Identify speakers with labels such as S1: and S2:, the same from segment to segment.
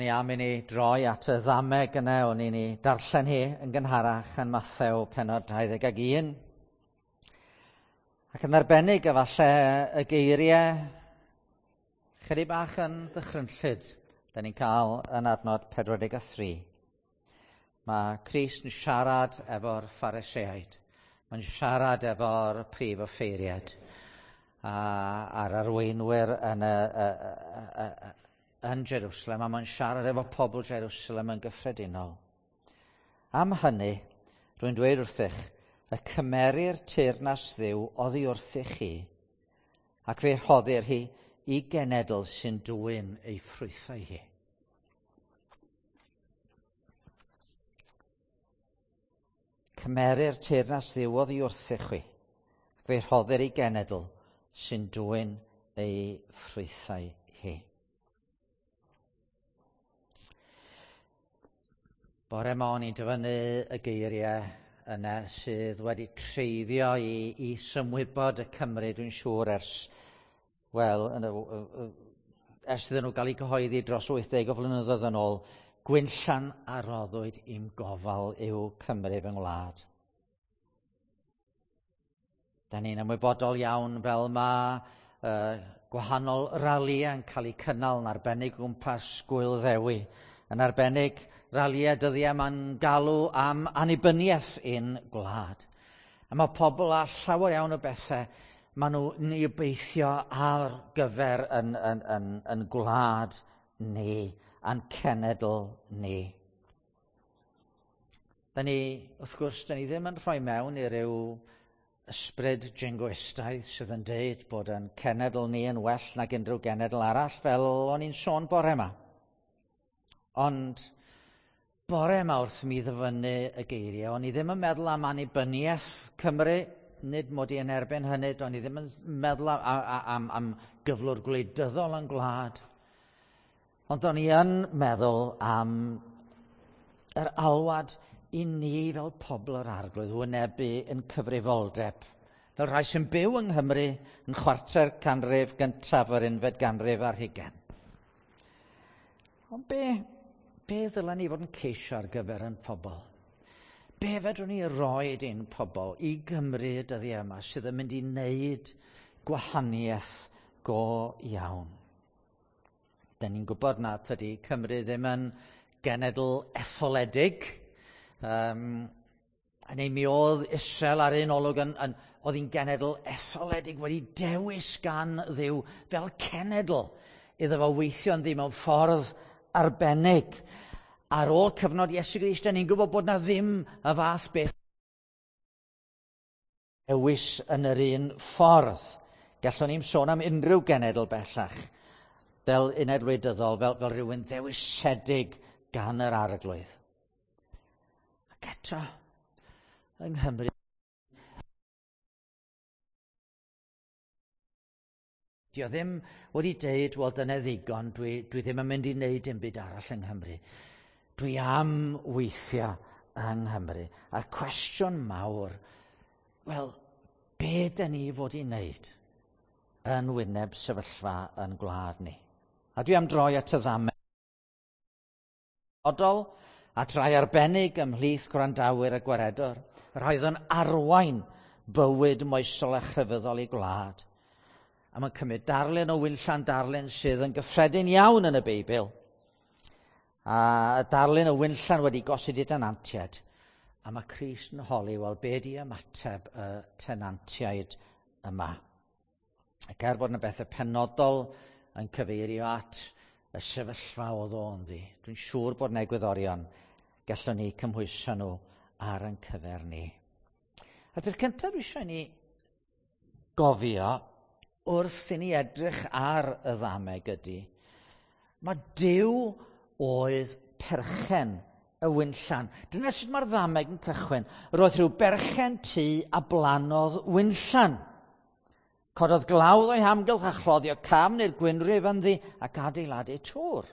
S1: Ni am i ni droi at y ddameg yna, o'n i'n ei darllen hi yn gynharach yn Mathew pennod 21. Ac yn arbennig efallai y geiriau chydig bach yn ddychrynllyd, da ni'n cael yn adnod 43. Mae Crist yn siarad efo'r Phariseaid. Mae'n siarad efo'r prif offeiriad a'r arweinwyr yn y, y, y, y, yn Jerusalem, a mae'n siarad efo pobl Jerusalem yn gyffredinol. Am hynny, rwy'n dweud wrthych, y cymerir teyrnas Dduw oddi wrthych chi, ac fe rhoddir hi i genedl sy'n dwyn ei ffrwythau hi. Cymerir teyrnas Dduw oddi wrthych chwi, ac fe rhoddir i genedl sy'n dwyn ei ffrwythau hi. Bore 'ma o'n i'n dyfynnu y geiriau yna sydd wedi treiddio i, i symwybod y Cymru, dwi'n siŵr, ers, wel, yn y, ers iddyn nhw gael eu cyhoeddi dros 80 o flynyddoedd yn ôl, gwinllan a roddwyd i'm gofal yw Cymru fy ngwlad. Da ni'n ymwybodol iawn fel mae gwahanol ralïau yn cael eu cynnal yn arbennig o gwmpas Gwyl Ddewi. Yn arbennig ralïau dyddiau ma'n galw am annibyniaeth i'n gwlad. A mae pobl â llawer iawn o bethau maen nhw'n ei obeithio ar gyfer yn, yn, yn, yn gwlad ni a'n cenedl ni. Da ni, wrth gwrs, da ni ddim yn rhoi mewn i ryw ysbryd jingoistaidd sydd yn deud bod yn cenedl ni yn well nag unrhyw genedl arall, fel o'n i'n sôn bore yma. Ond bore yma wrth mi ddyfynnu y geiriau, o'n i ddim yn meddwl am annibyniaeth Cymru, nid mod i yn erbyn hynny, o'n i ddim yn meddwl am, am, am gyflwr gwleidyddol yn gwlad. Ond o'n i yn meddwl am yr alwad i ni fel pobl yr arglwydd wynebu yn cyfrifoldeb. Fel rhai sy'n byw yng Nghymru yn chwarter canrif gyntaf yr unfed ganrif ar hugain. Ond be, be ddylen ni fod yn ceisio ar gyfer yn pobl? Be fedrwn ni roed i'n pobl i Gymru y dyddiau yma sydd yn mynd i wneud gwahaniaeth go iawn? Da ni'n gwybod na tydi Cymru ddim yn genedl etholedig. Um, neu mi oedd Israel ar un olwg yn, yn, oedd hi'n genedl etholedig wedi dewis gan Dduw fel cenedl iddo fo weithio ynddi mewn ffordd arbennig. Ar ôl cyfnod Iesu Grist, da ni'n gwybod bod na ddim y fath beth dewis yn yr un ffordd. Gallwn ni'm sôn am unrhyw genedl bellach fel uned wleidyddol, fel, fel rhywun ddewisedig gan yr arglwydd. Ac eto, yng Nghymru, Dio ddim wedi deud, wel dyna ddigon, dwi, dwi ddim yn mynd i wneud dim byd arall yng Nghymru. Dwi am weithio yng Nghymru. A'r cwestiwn mawr, wel, be da ni fod i wneud yn wyneb sefyllfa yn gwlad ni? A dwi am droi at y ddameg odol, at rai arbennig ymhlith gwrandawyr y gwaredwr, rhai oedd yn arwain bywyd moesol a chrefyddol i gwlad. A mae'n cymryd darlun o winllan darlun sydd yn gyffredin iawn yn y Beibl. A darlun o winllan wedi gosod i denantiaid. A mae Crist yn holi, wel, be di ymateb y tenantiaid yma? Ac er bod yna bethau penodol yn cyfeirio at y sefyllfa oedd o ynddi, dwi'n siŵr bod yna egwyddorion gallwn ni cymhwyso nhw ar ein cyfer ni. A'r peth cyntaf dwi eisiau ni gofio wrth i ni edrych ar y ddameg ydy, mae Duw oedd perchen y winllan. Dyna sut mae'r ddameg yn cychwyn. Roedd rhyw berchen tŷ a blanodd winllan. Cododd glawdd o'i hamgylch a chloddio cafn i'r gwynrif ynddi ac adeiladu tŵr.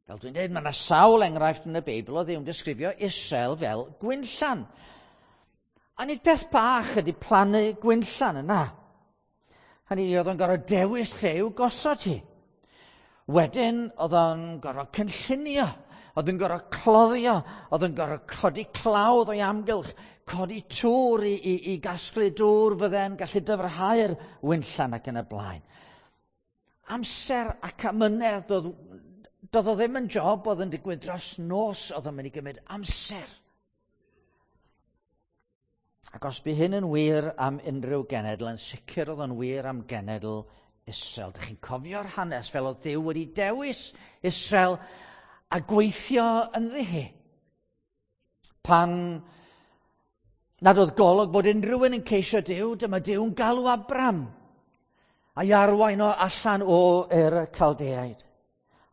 S1: Fel dwi'n dweud, mae yna sawl enghraifft yn y Beibl o Dduw'n disgrifio Israel fel gwinllan. A nid peth bach ydy plannu gwinllan yna. Hynny oedd o'n gorfod dewis lle i'w gosod hi. Wedyn, oedd o'n gorfod cynllunio, oedd yn gorfod cloddio, oedd yn gorfod codi clawdd o'i amgylch, codi tŵr i gasglu dŵr fydde'n gallu dyfrhau'r winllan ac yn y blaen. Amser ac amynedd, doedd o ddim yn job oedd yn digwydd dros nos, oedd o'n mynd i gymryd amser. Ac os bu hyn yn wir am unrhyw genedl, yn sicr oedd o'n wir am genedl Israel. Dych chi'n cofio'r hanes fel oedd Duw wedi dewis Israel a gweithio ynddi hi. Pan nad oedd golwg bod unrhyw un yn ceisio Duw, dyma Duw'n galw Abram a'i arwain o allan o Ur y Caldeaid,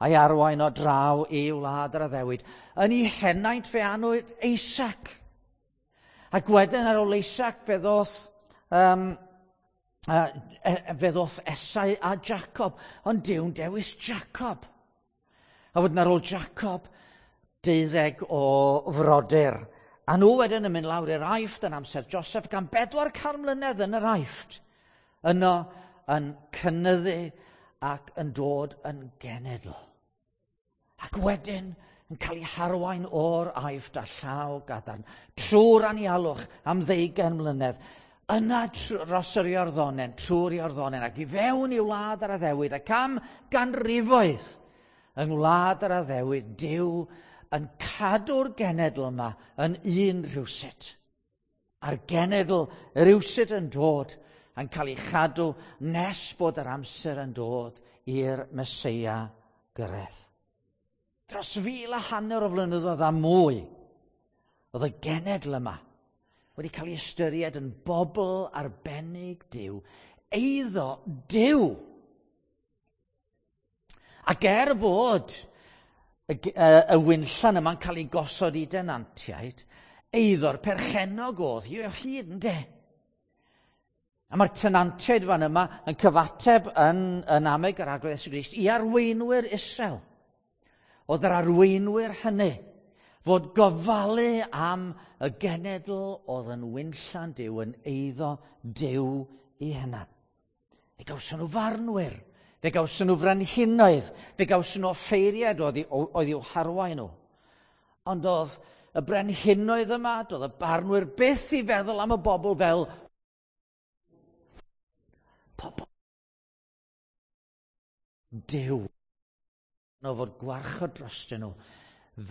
S1: a'i arwain o draw i wlad yr addewid. Yn ei henaint fe anwyd Isaac. Ac wedyn ar ôl Isaac fe ddoth Esau a Jacob, ond Duw'n dewis Jacob. A wedyn ar ôl Jacob, 12 o frodyr. A nhw wedyn yn mynd lawr i'r Aifft yn amser Joseph gan 400 mlynedd yn yr Aifft. Yno yn cynyddu ac yn dod yn genedl. Ac wedyn yn cael ei harwain o'r Aifft a llaw gadarn, trwy'r anialwch am 20 mlynedd, yna dros yr Iorddonen, trwy'r Iorddonen, ac i fewn i wlad yr addewid, ac am ganrifoedd yng ngwlad yr addewid, Duw yn cadw'r genedl yma yn un rhywsut. A'r genedl rhywsut yn dod yn cael ei chadw nes bod yr amser yn dod i'r Meseia gyrraedd. Dros 1,500 o flynyddoedd a mwy, oedd y genedl yma wedi cael ei ystyried yn bobl arbennig Duw, eiddo Duw. Ac er fod y winllan yma'n cael ei gosod i denantiaid, eiddo'r perchennog oedd hi o hyd, ynde? A mae'r tenantiaid fan yma yn cyfateb yn ameg yr Arglwydd Iesu Grist i arweinwyr Israel. Oedd yr arweinwyr hynny fod gofalu am y genedl oedd yn winllan Duw, yn eiddo Duw i hunan. Fe gawson nhw farnwyr, fe gawson nhw frenhinoedd, fe gawson nhw offeiriaid oedd i'w harwain nhw. Ond oedd y brenhinoedd yma, doedd y barnwyr byth i feddwl am y bobl fel pobl Duw. No fod gwarchod drostyn nhw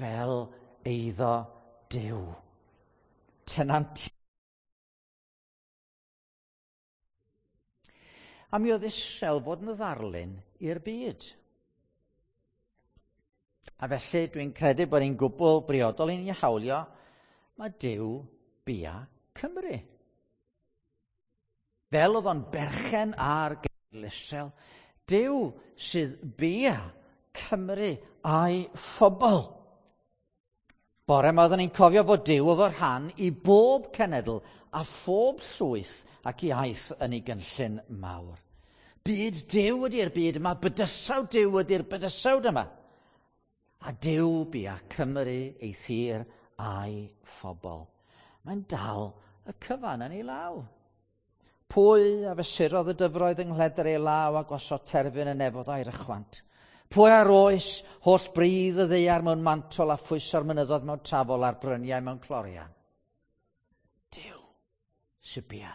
S1: fel eiddo Duw. Tenant. A mi oedd Israel fod yn ddarlun i'r byd. A felly dwi'n credu bod ni'n gwbl briodol i ni hawlio, mae Duw bia Cymru. Fel oedd o'n berchen ar genedl Israel, Duw sydd bia Cymru a'i phobl. Bore yma oeddwn ni'n cofio fod Duw efo rhan i bob cenedl a phob llwyth ac iaith yn ei gynllun mawr. Byd Duw ydy'r byd yma, bydysawd Duw ydy'r bydysawd yma. A Duw bia Cymru ei thir a'i phobl. Mae'n dal y cyfan yn ei law. Pwy a fesurodd y dyfroedd yng nghledr ei law a gosod terfyn y nefodd a'i rychwant? Pwy ar oes holl bridd y ddaear mewn mantol a phwyso'r mynyddoedd mewn tafol a'r bryniau mewn clorian? Duw sy bia.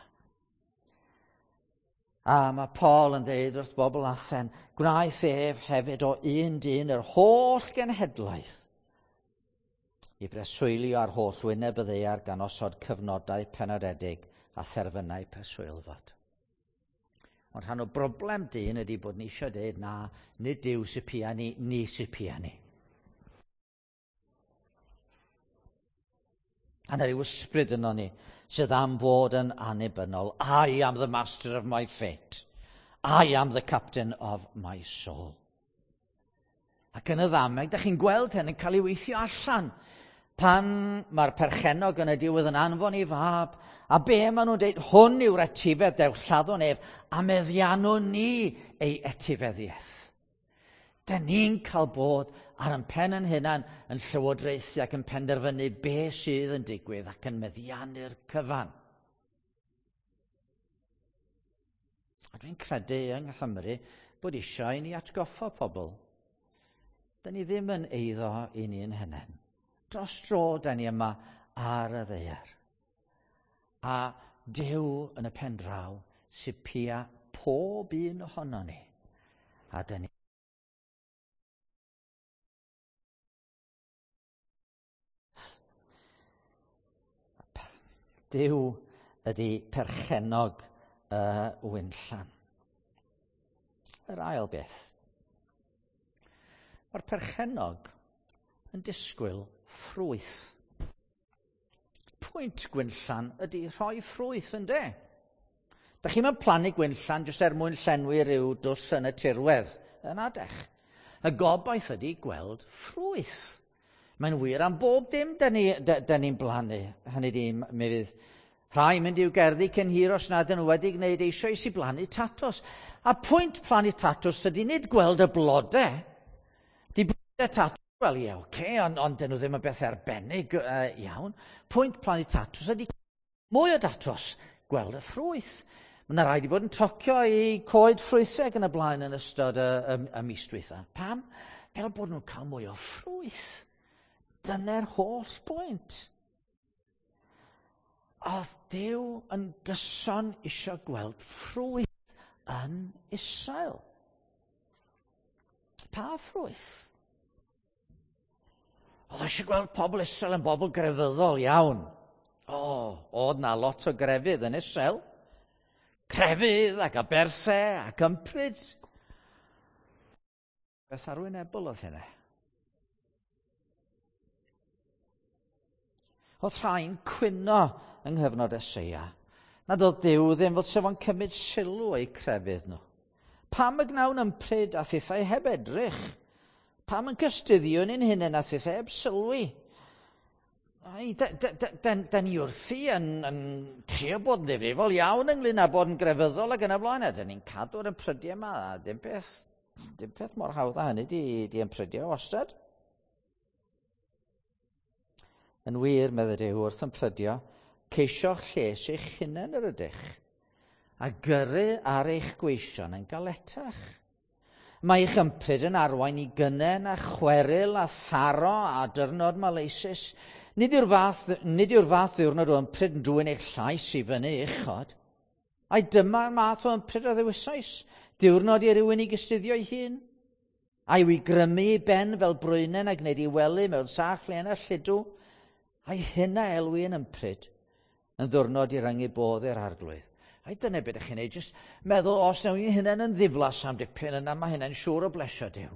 S1: A mae Paul yn dweud wrth bobl Athen, gwnaeth ef hefyd o un dyn yr holl genhedlaeth i breswylio ar holl wyneb y ddaear gan osod cyfnodau penodedig a therfynau preswylfod. Ond rhan o broblem dyn ydy bod ni eisiau dweud na, nid Duw sy pia ni, ni sy pia ni. A na ryw ysbryd yno ni sydd am fod yn annibynnol. I am the master of my fate. I am the captain of my soul. Ac yn y ddameg, da chi'n gweld hyn yn cael ei weithio allan. Pan mae'r perchennog yn y diwedd yn anfon ei fab, a be maen nhw'n dweud, hwn yw'r etifedd, dewch lladdwn ef, a meddiannwn ni ei etifeddiaeth. Da ni'n cael bod ar ein pen yn hunan yn llywodraethu ac yn penderfynu be sydd yn digwydd ac yn meddiannu'r cyfan. A dwi'n credu yng Nghymru bod eisiau i ni atgoffa pobl. Da ni ddim yn eiddo i ni'n hunain. Dros dro da ni yma ar y ddaear. A Duw yn y pen draw sy'n pia pob un ohono ni. A da ni Duw ydy perchennog y winllan. Yr ail beth. Mae'r perchennog yn disgwyl ffrwyth. Pwynt gwinllan ydy rhoi ffrwyth, ynde? Da chi'n mynd plannu gwinllan jyst er mwyn llenwi rhyw dwll yn y tirwedd. Yn adech. Y gobaith ydy gweld ffrwyth. Mae'n wir am bob dim da ni'n ni blannu. Hynny di, mi fydd rhai mynd i'w gerddi cyn hir os nad ydyn nhw wedi gwneud eisoes i blannu tatws. A pwynt plannu tatws ydy nid gweld y blodau. Di blodau tatws, wel ie, oce, okay, ond on dyn nhw ddim yn beth arbennig iawn. Pwynt plannu tatws ydy mwy o datws, gweld y ffrwyth. Mae yna rhaid i bod yn tocio i coed ffrwythau yn y blaen yn ystod y, y, y mis dwytha. Pam? Fel bod nhw'n cael mwy o ffrwyth. Dyna'r holl bwynt. Oedd Duw yn gyson eisiau gweld ffrwyth yn Israel. Pa ffrwyth? Oedd eisiau gweld pobl Israel yn bobl grefyddol iawn. O, oedd na lot o grefydd yn Israel. Crefydd ac aberthau ac ympryd. Beth arwynebol oedd hynny? Oedd rhai'n cwyno yng nghyfnod Eseia. Nad oedd Duw ddim fel sef o'n cymryd sylw eu crefydd nhw. Pam y gnawn ympryd a thithau heb edrych? Pam yn cystuddio ni'n hunain a thithau heb sylwi? Ai, da, da, da, da, da ni wrthi yn, yn trio bod yn ddifrifol iawn ynglyn â bod yn grefyddol ac yn y blaen. A da ni'n cadw'r ymprydiau yma, a dim peth, dim peth mor hawdd â hynny di, di ymprydio wastad. Yn wir, meddai Duw, wrth ymprydio, ceisio'ch lles eich hunain yr ydych, a gyrru ar eich gweision yn galetach. Mae eich ympryd yn arwain i gynnen a chweryl a tharo a dyrnod maleisus. Nid yw'r fath, nid yw'r fath ddiwrnod o ympryd yn dwyn eich llais i fyny uchod. Ai dyma'r math o ympryd a ddewisais, diwrnod i rywun i gystuddio ei hun. A yw i grymu i ben fel brwynen a gwneud i wely mewn sach len a lludw. Ai hynna elwi yn ympryd yn ddwrnod i rangu bodd i'r arglwydd. Ai dyna beth ydych chi'n neud, jyst meddwl os wnawn ni hynna'n yn ddiflas am dipyn yna, mae hynna'n siŵr o blesio Duw.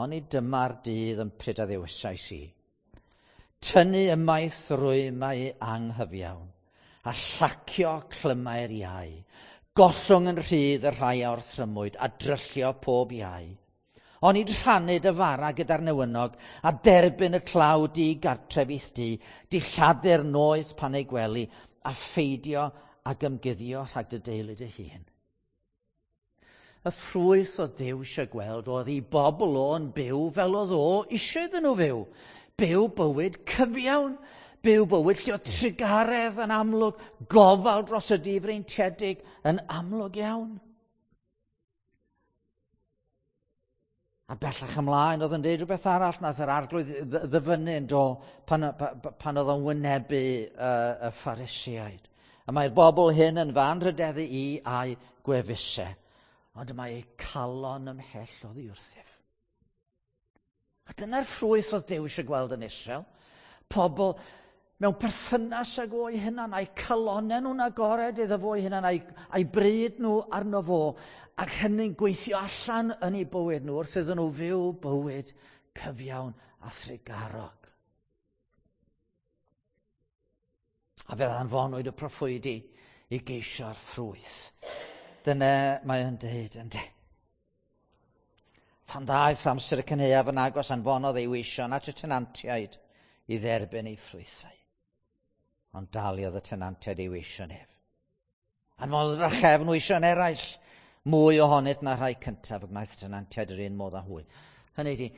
S1: Oni dyma'r dydd ympryd a ddewisais i. Tynnu ymaith rwymau anghyfiawn, a llacio clymau'r iau, gollwng yn rhydd y rhai a orthrymwyd, a dryllio pob iau. Onid rhannu dy fara gyda'r newynog, a derbyn y tlawd di gartref i'th di, dilladu'r noeth pan ei gwely, a pheidio ag ymguddio rhag dy deulu dy hun. Y ffrwyth oedd Duw eisiau gweld oedd i bobl o'n byw fel oedd o eisiau iddyn nhw fyw. Byw bywyd cyfiawn, byw bywyd lle oedd trugaredd yn amlwg, gofal dros y difreintiedig yn amlwg iawn. A bellach ymlaen, oedd yn dweud rhywbeth arall nath yr arglwydd ddyfynnu yn do pan, pan oedd o'n wynebu y Pharisiaid. A mae'r bobl hyn yn fan rhydeddu i a'i gwefusau, ond mae eu calon ymhell oddi wrthyf. A dyna'r ffrwyth oedd Duw eisiau gweld yn Israel. Pobl mewn perthynas ag o'i hunan, a'i calonau nhw'n agored iddo fo'i hunan, a'i, a'i bryd nhw arno fo, ac hynny'n gweithio allan yn eu bywyd nhw wrth iddyn nhw fyw bywyd cyfiawn a thrugarog. A fe anfonwyd y proffwydi i geisio'r ffrwyth. Dyna mae o'n deud, ynddi. Pan ddaeth amser y cynhaeaf yn agos, anfonodd ei weision at y tenantiaid i dderbyn ei ffrwythau. Ond daliodd y tenantiaid ei weision ef. Anfonodd drachefn weision eraill, mwy ohonynt na rhai cyntaf, y gwnaeth y tenantiaid yr un modd â hwy. Hynny ydi,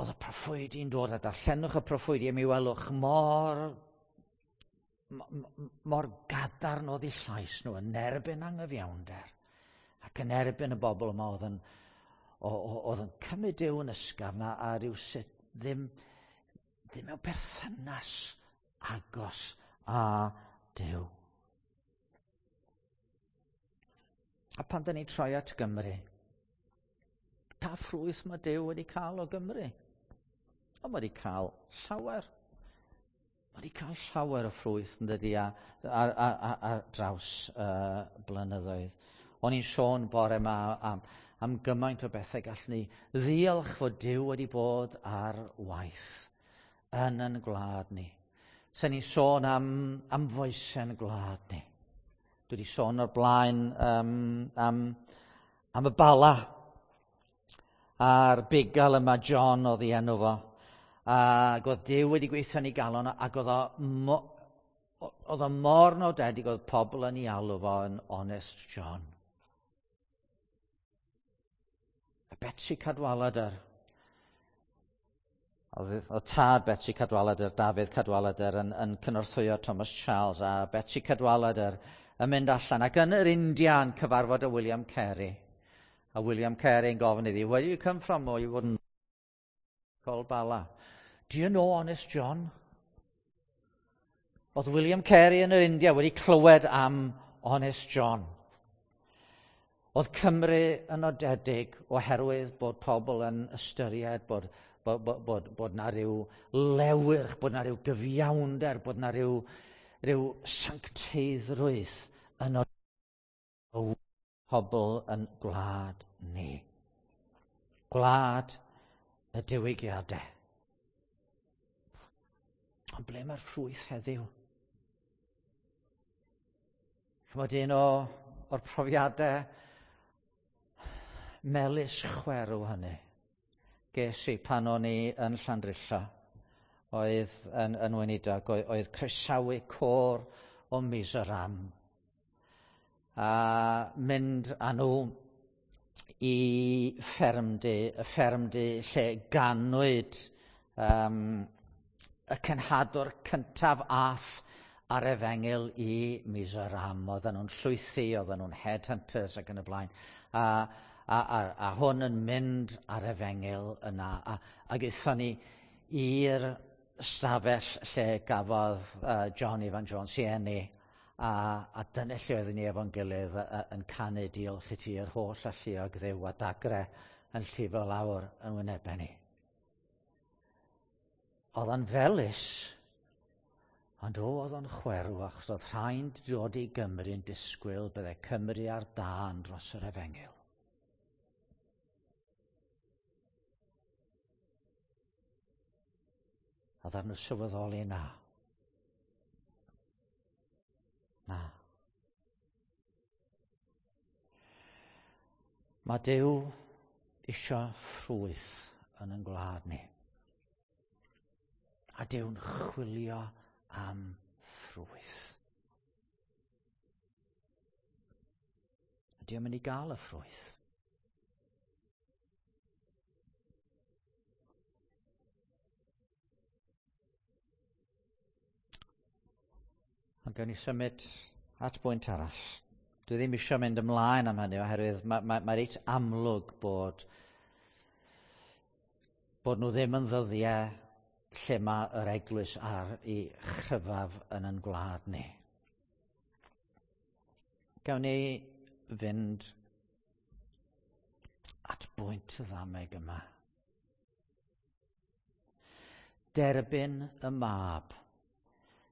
S1: oedd y proffwydi'n dod a darllenwch y proffwydi a mi welwch mor, mor gadarn oedd eu llais nhw yn erbyn anghyfiawnder. Ac yn erbyn y bobl yma oedd yn, oedd yn cymryd Duw yn ysgafn a, a rhyw sut ddim, ddim mewn perthynas agos â Duw. A pan da ni'n troi at Gymru, pa ffrwyth mae Duw wedi cael o Gymru? O, mae wedi cael llawer. Mae wedi cael llawer o ffrwyth yn dydy ar, ar, ar, ar, ar draws uh, blynyddoedd. O'n i'n sôn bore yma am, am gymaint o bethau gallwn ni ddiolch fod Duw wedi bod ar waith yn yn gwlad ni. Sen ni'n sôn am, am foesen gwlad ni. Dwi wedi sôn o'r blaen um, am, am y bala a'r bugail yma John oedd ei enw fo. Ac oedd Duw wedi gweithio yn ei galon ac oedd o, mo, oedd o mor nodedig oedd pobl yn ei alw fo yn Honest John. A Betsi Cadwaladr. Oedd, oedd tad Betsi Cadwaladr, Dafydd Cadwaladr, yn, yn cynorthwyo Thomas Charles a Betsi Cadwaladr yn mynd allan ac yn yr India yn cyfarfod â William Carey. A William Carey yn gofyn iddi, where do you come from? Oh, you wouldn't call Bala. Do you know Honest John? Oedd William Carey yn yr India wedi clywed am Honest John. Oedd Cymru yn nodedig oherwydd bod pobl yn ystyried bod, bod, bod, bod, bod na ryw lewyrch, bod na ryw gyfiawnder, bod na ryw, ryw sancteiddrwydd yn pobl yn gwlad ni. Gwlad y diwygiadau. Ond ble mae'r ffrwyth heddiw? Chymod un o, o'r profiadau melys chwerw hynny ges i pan o'n i yn Llandrillo oedd yn, yn weinidog, oedd, oedd croesawu côr o Mizoram a mynd â nhw i ffermdy, y ffermdy lle ganwyd um, y cenhadwr cyntaf ath ar efengyl i Mizoram. Oedden nhw'n llwythi, oedden nhw'n headhunters ac yn y blaen. A, a, a, a hwn yn mynd ar efengyl yna. A, ac aethon ni i'r stafell lle gafodd uh, John Ivan Jones i eni. A, a dyna lle oeddwn ni efo'n gilydd yn canu diolch i ti yr holl alluog ddew a dagre yn llifo lawr yn wynebau ni. Oedd o'n felys, ond o, oedd o'n chwerw, achos oedd rhain dod i Gymru yn disgwyl bydde Cymru ar dân dros yr efengyl. A ddarn nhw sylweddoli na. Na. Mae Duw isio ffrwyth yn ein gwlad ni. A Duw'n chwilio am ffrwyth. Ydy o'n mynd i gael y ffrwyth? Ond gawn ni symud at bwynt arall. Dwi ddim eisiau mynd ymlaen am hynny oherwydd mae, mae, mae reit amlwg bod, bod nhw ddim yn ddyddiau lle mae yr eglwys ar ei chryfaf yn yn gwlad ni. Gawn ni fynd at bwynt y ddameg yma. Derbyn y mab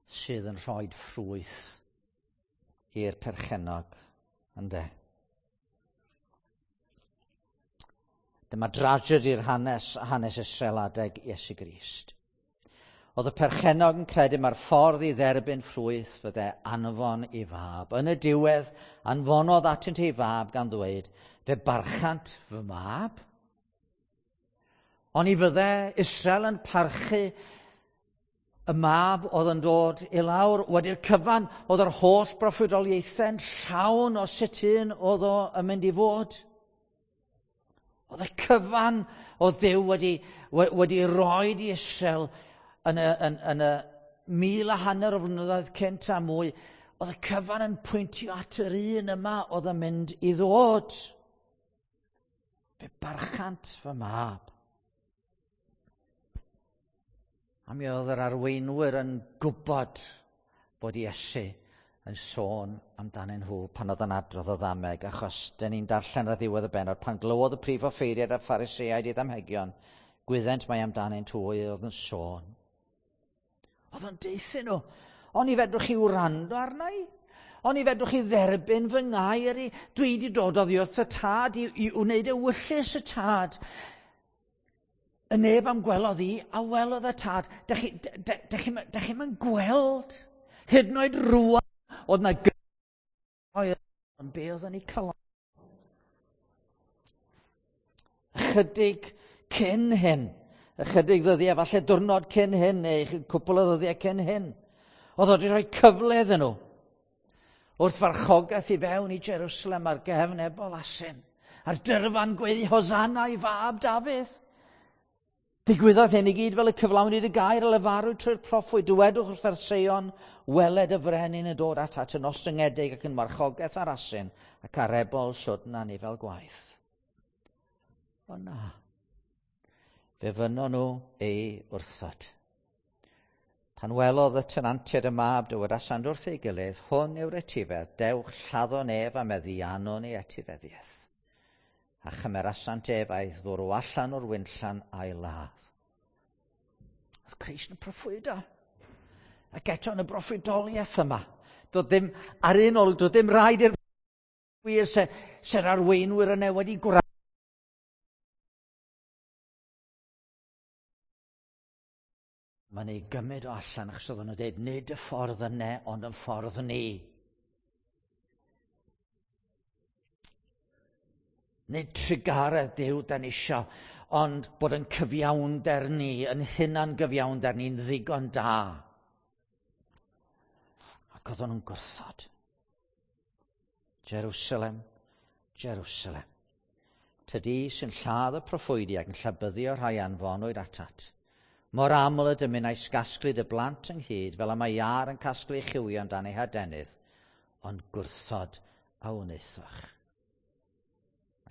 S1: sydd yn rhoi ffrwyth i'r perchennog, ynde? Dyma dragedi'r hanes, hanes Israel adeg Iesu Grist. Oedd y perchennog yn credu mae'r ffordd i dderbyn ffrwyth fydde anfon i fab. Yn y diwedd, anfonodd atynt ei fab gan ddweud, fe barchant fy mab. Oni fydde Israel yn parchu y mab oedd yn dod i lawr wedi'r cyfan, oedd yr holl broffwydoliaethau'n llawn o sut un oedd o yn mynd i fod. Oedd y cyfan oedd Duw wedi, wedi roi i Israel yn y, yn, yn y mil a hanner o flynyddoedd cynt a mwy, Oedd y cyfan yn pwyntio at yr un yma oedd yn mynd i ddod. Fe barchant fy mab. A mi oedd yr arweinwyr yn gwybod bod Iesu yn sôn amdanyn nhw pan oedd yn adrodd o ddameg, achos dyn ni'n darllen ar ddiwedd y bennod, pan glywodd y prif offeiriad a'r Phariseaid i ddamhegion, gwyddent mai amdanynt hwy oedd yn sôn. Oedd o'n deuthyn nhw, oni fedrwch chi wrando arna i? Oni fedrwch chi dderbyn fy ngair i? Dwi wedi dod oddi wrth y tad i wneud ewyllys y tad. Y neb am gwelodd i, a welodd y tad. Dych chi'm yn gweld? Hyd yn oed rŵan, oedd na ond be oedd yn ei calon? Ychydig cyn hyn, ychydig ddyddiau, falle diwrnod cyn hyn, neu cwpl o ddyddiau cyn hyn, oedd wedi rhoi cyfle iddyn nhw wrth farchogaeth i fewn i Jerusalem ar gefn ebol asyn, a'r dyrfan gweiddi Hosanna i fab Dafydd. Digwyddodd hyn i gyd fel y cyflawnid y gair a lefarwyd trwy'r proffwyd. Dywedwch wrth Seion, weled y frenin yn dod atat yn ostyngedig ac yn marchogaeth ar asyn ac ar ebol llwdn anifail gwaith. O na, fe fynnon nhw ei wrthod. Pan welodd y tenantiaid y mab, dywedasant wrth ei gilydd, hwn yw'r etifedd, dewch lladdon ef a meddiannwn ei etifeddiaeth. A chymerasant ef a'i ddwrw allan o'r winllan a'i ladd. Oedd Crist yn proffwydo. Ac eto yn y broffwydoliaeth yma, doedd ddim, ar un olwg, doedd ddim rhaid i'r wir se'r arweinwyr yna wedi gwrando. Mae'n ei gymryd o allan achos oedden nhw'n dweud, nid y ffordd yna, ond yn ffordd ni. Nid trugaredd Duw da ni isio, ond bod yn cyfiawnder ni, yn hunan gyfiawnder ni'n ddigon da. Ac oedden nhw'n gwrthod. Jerusalem, Jerusalem. Tydi sy'n lladd y proffwydi ac yn llabyddio rhai anfonwyd atat. Mor aml y dymunais gasglu dy blant ynghyd, fel y mae iâr yn casglu chywion dan ei hadenydd, ond gwrthod a wnaethoch.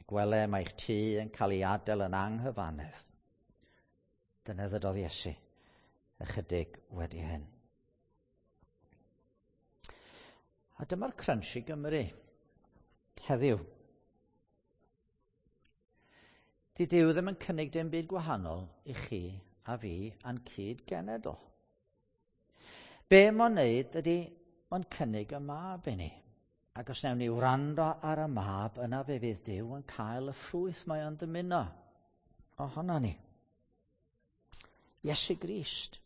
S1: Gwele mae'ch tŷ yn cael ei adael yn anghyfannedd. Dyna ddydodd Iesu ychydig wedi hyn. A dyma'r crunch i Gymru heddiw. Di Duw ddim yn cynnig dim byd gwahanol i chi a fi a'n cyd-genedl. Be mae'n wneud ydy mae'n cynnig y mab i ni. Ac os wnawn ni wrando ar y mab, yna fe fydd Duw yn cael y ffrwyth mae o'n dymuno ohono ni. Iesu Grist.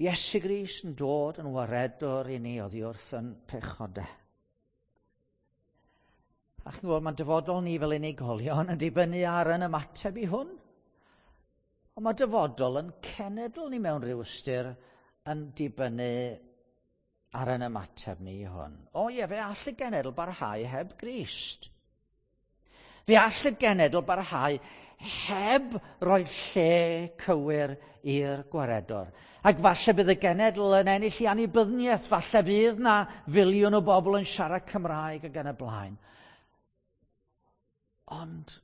S1: Iesu Grist yn dod yn waredwr i ni oddi wrth yn pechodau. A chi'n gwybod, mae'n dyfodol ni fel unigolion yn dibynnu ar yn ymateb i hwn. Ond mae dyfodol yn cenedl ni mewn rhyw ystyr yn dibynnu ar yn ymateb ni i hwn. O ie, fe all y genedl barhau heb Grist. Fe all y genedl barhau heb roi lle cywir i'r gwaredwr. Ac falle bydd y genedl yn ennill i annibyniaeth, falle fydd na filiwn o bobl yn siarad Cymraeg ac yn y blaen. Ond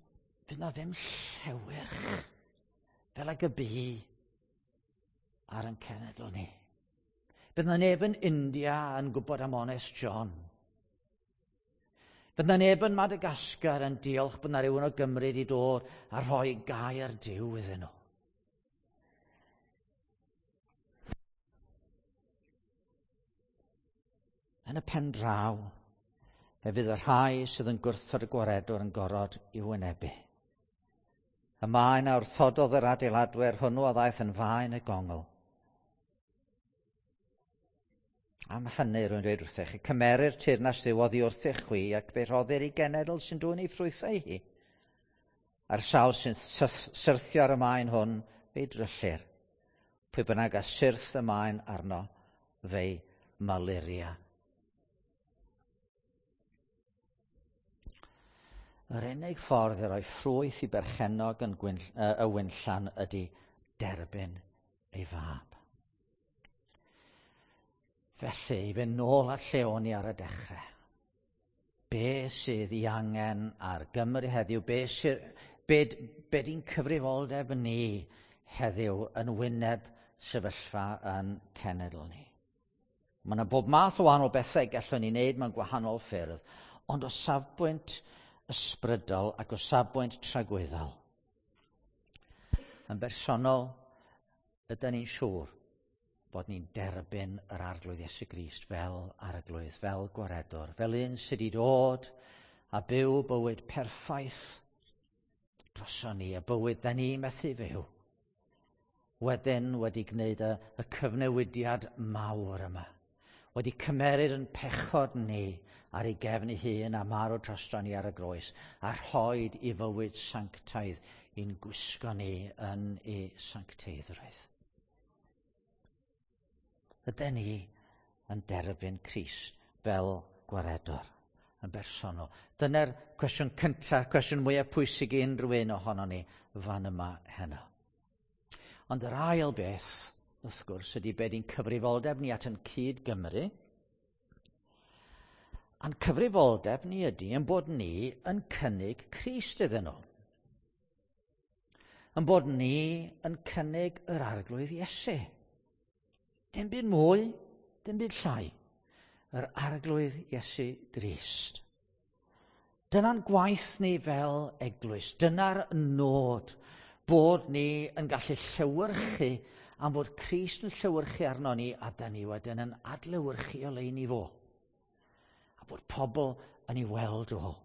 S1: fydd na ddim llewyrch fel ag y bu ar ein cenedl ni. Bydd na neb yn India yn gwybod am Honest John. Bydd na neb yn Madagascar yn diolch bod na rhywun o Gymru wedi dod a rhoi gair Duw iddyn nhw. Yn y pen draw, fe fydd y rhai sydd yn gwrthod y gwaredwr yn gorfod i'w wynebu. Y maen a wrthododd yr adeiladwyr hwnnw a ddaeth yn faen y gongl. Am hynny, rwy'n dweud wrthych, cymerir teyrnas Dduw oddi wrthych chwi ac fe rhoddir i genedl sy'n dwyn ei ffrwythau hi. A'r sawl sy'n syrthio ar y maen hwn, fe'i dryllir. Pwy bynnag a syrth y maen arno, fe'i maluria. Yr unig ffordd i roi ffrwyth i berchennog yn y winllan ydy derbyn ei fab. Felly, i fynd nôl at lle o'n i ar y dechrau. Be sydd ei angen ar Gymru heddiw? Be, sydd, be, be di'n cyfrifoldeb ni heddiw yn wyneb sefyllfa yn cenedl ni? Mae yna bob math o wahanol bethau gallwn ni wneud mewn gwahanol ffyrdd, ond o safbwynt ysbrydol ac o safbwynt tragwyddol. Yn bersonol, ydyn ni'n siŵr bod ni'n derbyn yr Arglwydd Iesu Grist fel Arglwydd, fel Gwaredwr, fel un sydd wedi dod a byw bywyd perffaith droson ni, y bywyd da ni methu fyw. Wedyn wedi gwneud y cyfnewidiad mawr yma. Wedi cymeryd yn pechod ni ar ei gefn ei hun a marw drosto ni ar y groes a rhoed i fywyd sanctaidd i'n gwisgo ni yn ei sancteiddrwydd. Ydyn ni yn derbyn Crist fel gwaredwr yn bersonol? Dyna'r cwestiwn cyntaf, cwestiwn mwyaf pwysig i unrhyw un ohono ni fan yma heno. Ond yr ail beth, wrth gwrs, ydy be di'n cyfrifoldeb ni at yn cyd Gymru. A'n cyfrifoldeb ni ydy yn bod ni yn cynnig Crist iddyn nhw. Yn bod ni yn cynnig yr Arglwydd Iesu. Dim byd mwy, dim byd llai. Yr Arglwydd Iesu Grist. Dyna'n gwaith ni fel eglwys. Dyna'r nod bod ni yn gallu llewyrchu am fod Crist yn llewyrchu arno ni a da ni wedyn yn adlewyrchu o lein i fo. A bod pobl yn ei weld o.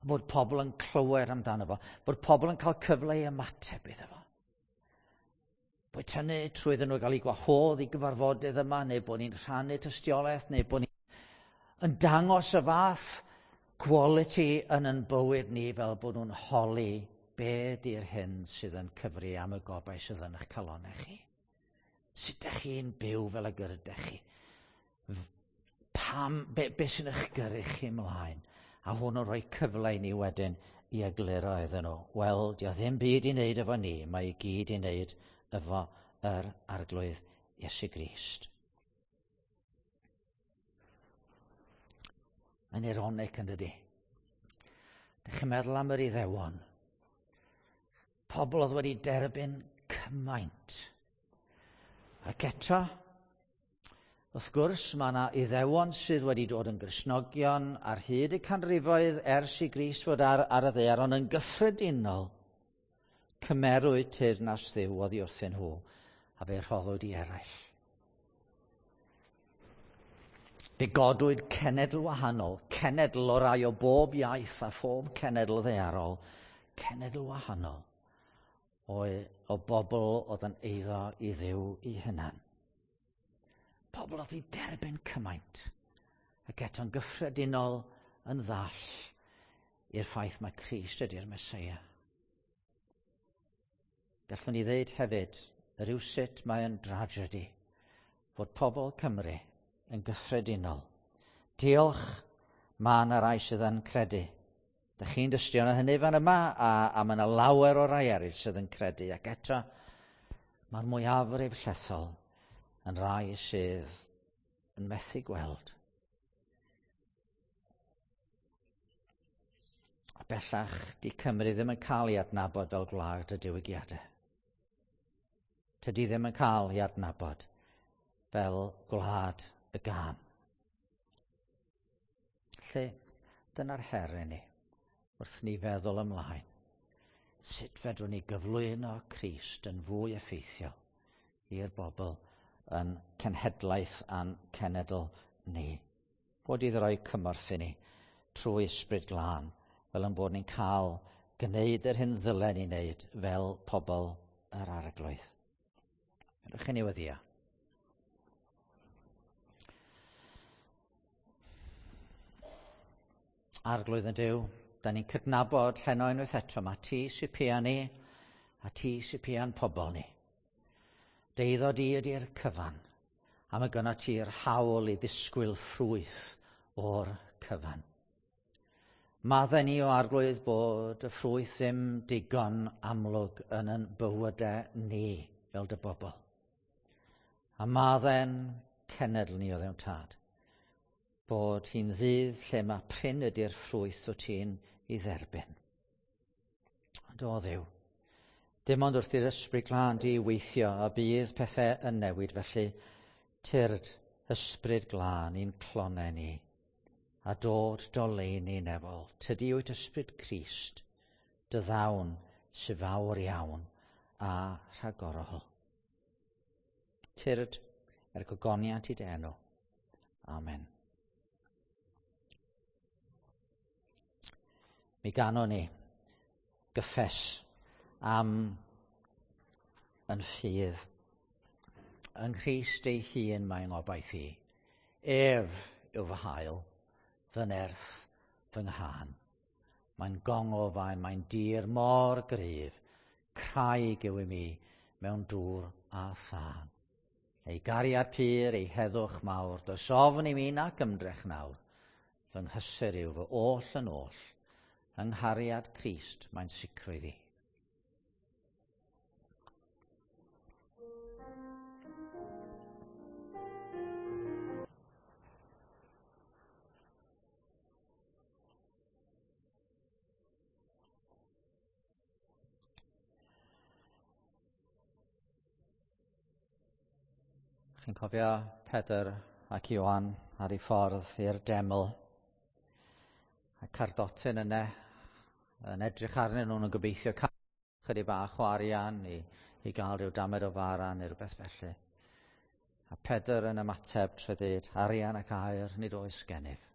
S1: A bod pobl yn clywed amdano fo. Bod pobl yn cael cyfle i ymateb iddo fo. Boed hynny trwy iddyn nhw gael eu gwahodd i gyfarfodydd yma, neu bod ni'n rhannu tystiolaeth, neu bod ni'n yn dangos y fath quality yn yn bywyd ni fel bod nhw'n holi be di'r hyn sydd yn cyfri am y gobaith sydd yn eich calonau chi. Sut ydych chi'n byw fel y gyrydych chi? Pam, be sy'n eich gyrru chi ymlaen? A hwn yn rhoi cyfle i ni wedyn i egluro iddyn nhw. Wel, dio ddim byd i wneud efo ni, mae i gyd i wneud efo yr Arglwydd Iesu Grist. Mae'n ironic yn dydi? Dych chi'n meddwl am yr Iddewon? Pobl oedd wedi derbyn cymaint. Ac eto, wrth gwrs, mae yna Iddewon sydd wedi dod yn Gristnogion ar hyd y canrifoedd ers i Grist fod ar y ddaear, ond yn gyffredinol, cymerwyd teyrnas Dduw oddi wrthyn nhw, a fe rhoddwyd i eraill. Fe godwyd cenedl wahanol, cenedl o rai o bob iaith a phob cenedl ddaearol, cenedl wahanol o bobl oedd yn eiddo i Dduw i hunan. Pobl oedd i derbyn cymaint, ac eto'n gyffredinol yn ddall i'r ffaith mae Crist ydy'r Meseia. Gallwn ni ddeud hefyd, rywsut mae yn dragedy, fod pobl Cymru yn gyffredinol. Diolch, mae yna rai sydd yn credu. Dych chi'n dystio yna hynny fan yma, a mae yna lawer o rai eraill sydd yn credu. Ac eto, mae'r mwyafrif llethol yn rai sydd yn methu gweld. A bellach, di Cymru ddim yn cael ei adnabod fel gwlad y diwygiadau. Tydi ddim yn cael ei adnabod fel gwlad y gân. Felly, dyna'r her i ni, wrth ni feddwl ymlaen. Sut fedrwn ni gyflwyno Crist yn fwy effeithiol i'r bobl yn cenhedlaeth a'n cenedl ni. Bod iddo roi cymorth i ni trwy Ysbryd Glân, fel yn bod ni'n cael gwneud yr hyn ddylen ni wneud fel pobl yr Arglwydd. Ydych chi'n ei weddio? Arglwydd yn Duw, da ni'n cydnabod heno unwaith eto, mae ti sy'n pia ni a ti sy'n pia'n pobl ni. Deiddo di ydy'r cyfan, a mae gynno ti'r hawl i ddisgwyl ffrwyth o'r cyfan. Maddau ni o Arglwydd bod y ffrwyth ddim digon amlwg yn yn bywydau ni fel dy bobl. A maddau'n cenedl ni o Dduw Tad, bod hi'n ddydd lle mae prin ydy'r ffrwyth o ti'n ei dderbyn. Ond o Dduw, dim ond wrth i'r Ysbryd Glân di weithio a bydd pethau yn newid, felly tyrd Ysbryd Glân i'n clonau ni a dod doleini nefol. Tydi wyt Ysbryd Crist, dy ddawn sy'n fawr iawn a rhagorol. Tyrd er gogoniant i dy enw. Amen. Mi ganon ni gyffes am yn ffydd. Yng Nghrist ei hun mae'n ngobaith i. Ef yw fy hael, fy nerth, fy nghân. Mae'n gongofaen, mae'n dir mor gryf, craig yw i mi mewn dŵr a thân. Ei gariad pur, ei heddwch mawr, does ofn i mi nac ymdrech nawr. Fy nghysur yw fy oll yn oll, yng nghariad Crist mae'n sicrwydd i. Chi'n cofio Pedr ac Ioan ar ei ffordd i'r deml, a cardotyn yna yn edrych arnyn nhw'n gobeithio cael chydig bach o arian i gael rhyw damed o fara neu rhywbeth felly. A Pedr yn ymateb trwy ddweud, arian ac aur nid oes gennyf.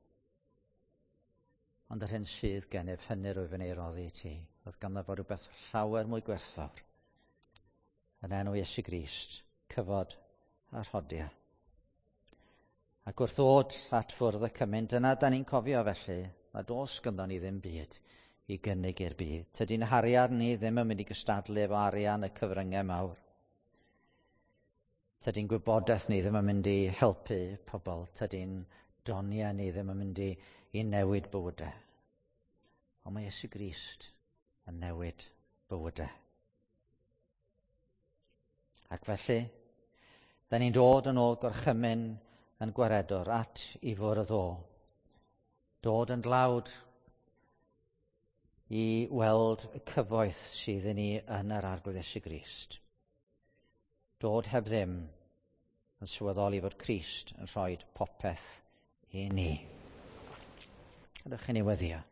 S1: Ond yr hyn sydd gennyf, hynny rwyf yn ei roddi i ti. Oedd ganddo fo rhywbeth llawer mwy gwerthfawr. Yn enw Iesu Grist, cyfod a rhodia. Ac wrth ddod at fwrdd y cymun, dyna da ni'n cofio felly, nad oes ganddo ni ddim byd i gynnig i'r byd. Tydi'n harian ni ddim yn mynd i gystadlu efo arian y cyfryngau mawr. Tydi'n gwybodaeth ni ddim yn mynd i helpu pobl. Tydi'n doniau ni ddim yn mynd i newid bywydau. Ond mae Iesu Grist yn newid bywydau. Ac felly, da ni'n dod yn ôl gorchymyn yn gwaredwr at i fwrdd o. Dod yn dlawd i weld y cyfoeth sydd i ni yn yr Arglwydd Iesu Grist. Dod heb ddim yn sylweddoli fod Crist yn rhoi popeth i ni. Gadewch i ni weddïo.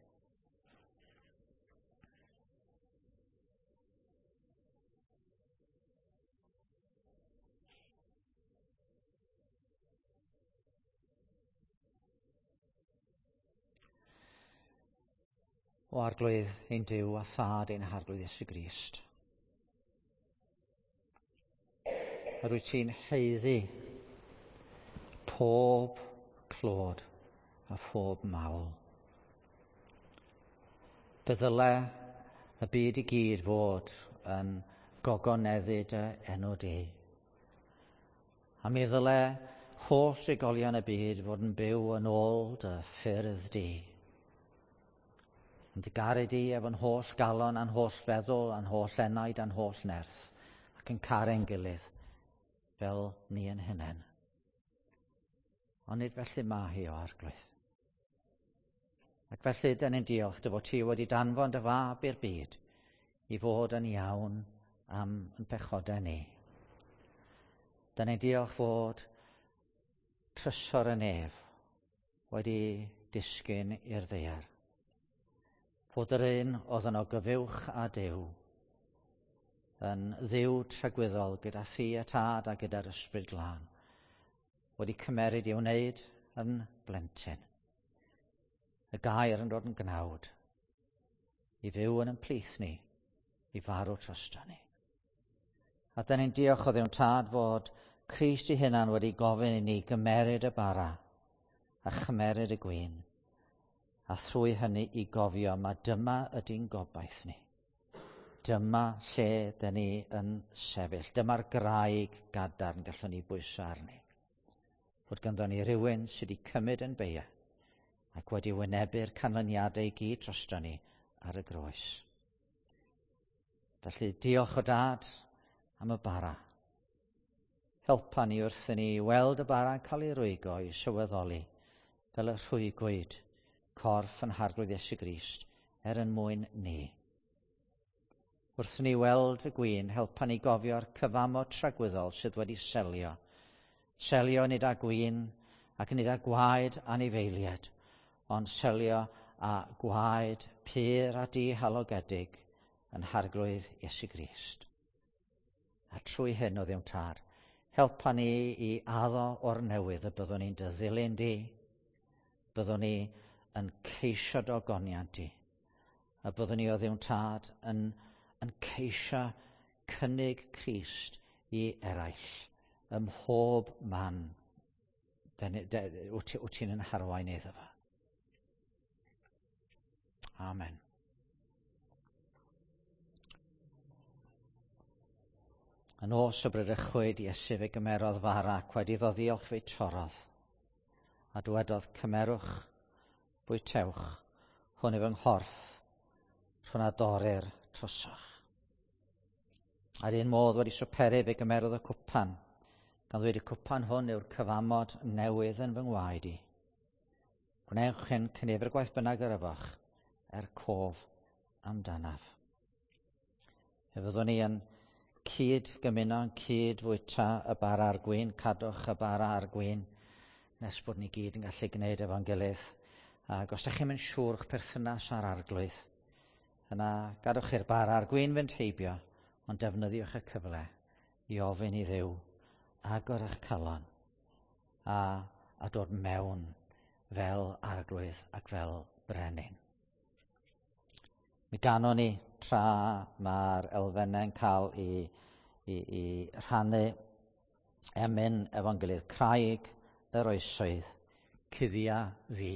S1: O Arglwydd ein Duw a Thad ein Harglwydd Iesu Grist. Yr wyt ti'n haeddu pob clod a phob mawl. Fe ddyle y byd i gyd fod yn gogoneddu dy enw di. A mi ddyle holl drigolion y byd fod yn byw yn ôl dy ffyrdd di. Yn dy garu di efo'n holl galon a'n holl feddwl a'n holl enaid a'n holl nerth, ac yn caru'n gilydd fel ni yn hunain. Ond nid felly mae hi o Arglwydd. Ac felly, dyn ni'n diolch dy fod ti wedi danfon dy fab i'r byd i fod yn iawn am yn pechodau ni. Dyn ni'n diolch fod trysor y nef wedi disgyn i'r ddaear. Fod yr un oedd yn ogyfuwch a Duw, yn Dduw tragwyddol gyda thi a Tad a gyda'r Ysbryd Glân, wedi cymeryd i'w wneud yn blentyn. Y gair yn dod yn gnawd, i fyw yn ein plith ni, i farw drosto ni. A dyn ni'n diolch o Dduw Tad fod Crist ei hunan wedi gofyn i ni gymeryd y bara a chymeryd y gwin, a thrwy hynny i gofio ma dyma ydy'n gobaith ni. Dyma lle dyn ni yn sefyll. Dyma'r graig gadarn gallwn ni bwyso arni. Fod ganddo ni rhywun sydd wedi cymryd yn beia ac wedi wynebu'r canlyniadau i gyd drosto ni ar y groes. Felly diolch o Dad am y bara. Helpa ni wrth i ni weld y bara'n cael ei rwygo i sylweddoli fel y rhwygwyd corff yn Harglwydd Iesu Grist er yn mwyn ni. Wrth i ni weld y gwin, helpa ni gofio'r cyfamod tragwyddol sydd wedi selio. Selio nid â gwin ac nid â gwaed anifeiliaid, ond selio â gwaed pur a dihalogedig yn Harglwydd Iesu Grist. A trwy hyn, o Dduw Tad, helpa ni i addo o'r newydd y byddwn ni'n dy ddilyn di, byddwn ni yn ceisio dy ogoniant di, a byddwn ni, o Dduw Tad, yn ceisio cynnig Crist i eraill ym mhob man wyt ti'n yn harwain iddo fo. Amen. Y nos y bradychwyd Iesu fe gymerodd fara ac wedi iddo ddiolch fe'i torrodd. A dywedodd, cymerwch, bwytewch, hwn yw fy nghorff, rhwng a dorir trosoch. A'r un modd wedi swperu fe gymerodd y cwpan, gan ddweud y cwpan hwn yw'r cyfamod newydd yn fy ngwaed i. Gwnewch hyn cynifer gwaith bynnag yr yfoch, er cof amdanaf. Fe fyddwn ni yn cyd gymuno, yn cyd fwyta y bara a'r gwin, cadwch y bara a'r gwin, nes bod ni gyd yn gallu gwneud efo'n gilydd. Ac os ydych chi'm yn siŵr o'ch perthynas â'r Arglwydd, yna gadwch i'r bara a'r gwin fynd heibio, ond defnyddiwch y cyfle i ofyn i Dduw agor eich calon a dod mewn fel Arglwydd ac fel Brenin. Mi ganon ni tra mae'r elfennau'n cael i rhannu emyn efo'n gilydd. Craig yr oesoedd, cuddia fi.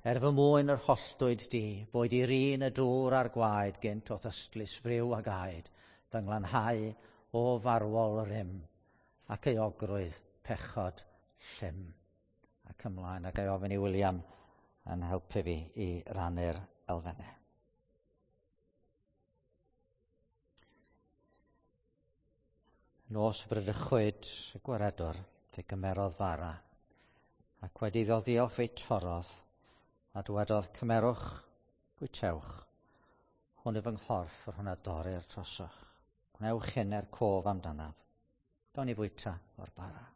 S1: Er fy mwyn yr holltwyd di, boed i'r un y dŵr a'r gwaed gynt o'th ystlys friw ag aed, fy nglanhau o farwol rym, ac euogrwydd pechod llym. Ac ymlaen, ac ei ofyn i William yn helpu fi i rannu'r elfennau. Nos bradychwyd y gwaredwr, fe gymerodd fara, ac wedi iddo ddiolch fe'i torrodd, a dywedodd, cymerwch, bwytewch, hwn yw fy nghorff yr hwn a dorir trosoch. Gwnewch hyn er cof amdanaf. Gawn ni fwyta o'r bara.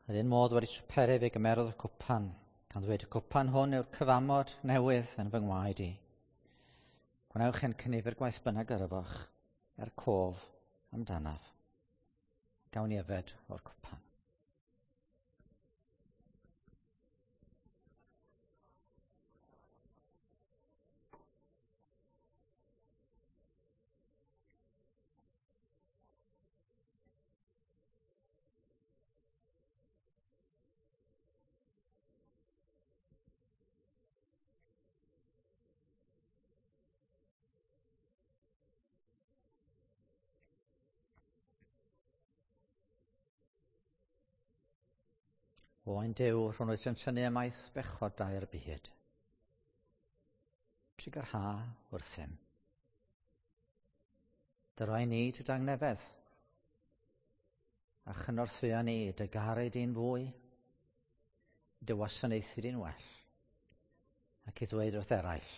S1: Yr un modd wedi swperu fe gymerodd y cwpan, gan ddweud y cwpan hwn yw'r cyfamod newydd yn fy ngwaed i. Gwnewch hyn cynifer gwaith bynnag yr yfoch, er cof amdanaf. Gawn ni yfed o'r cwpan. Oen Duw, rhwng wyt yn tynnu ymaith bechod dair byd. Trugarha wrthym. Dyroi ni dy dangnefedd, a chynorthwya ni dy garu di'n fwy, dy wasanaethu di'n well, ac i ddweud wrth eraill,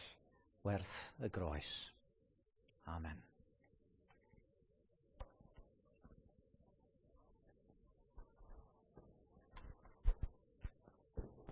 S1: werth y groes. Amen.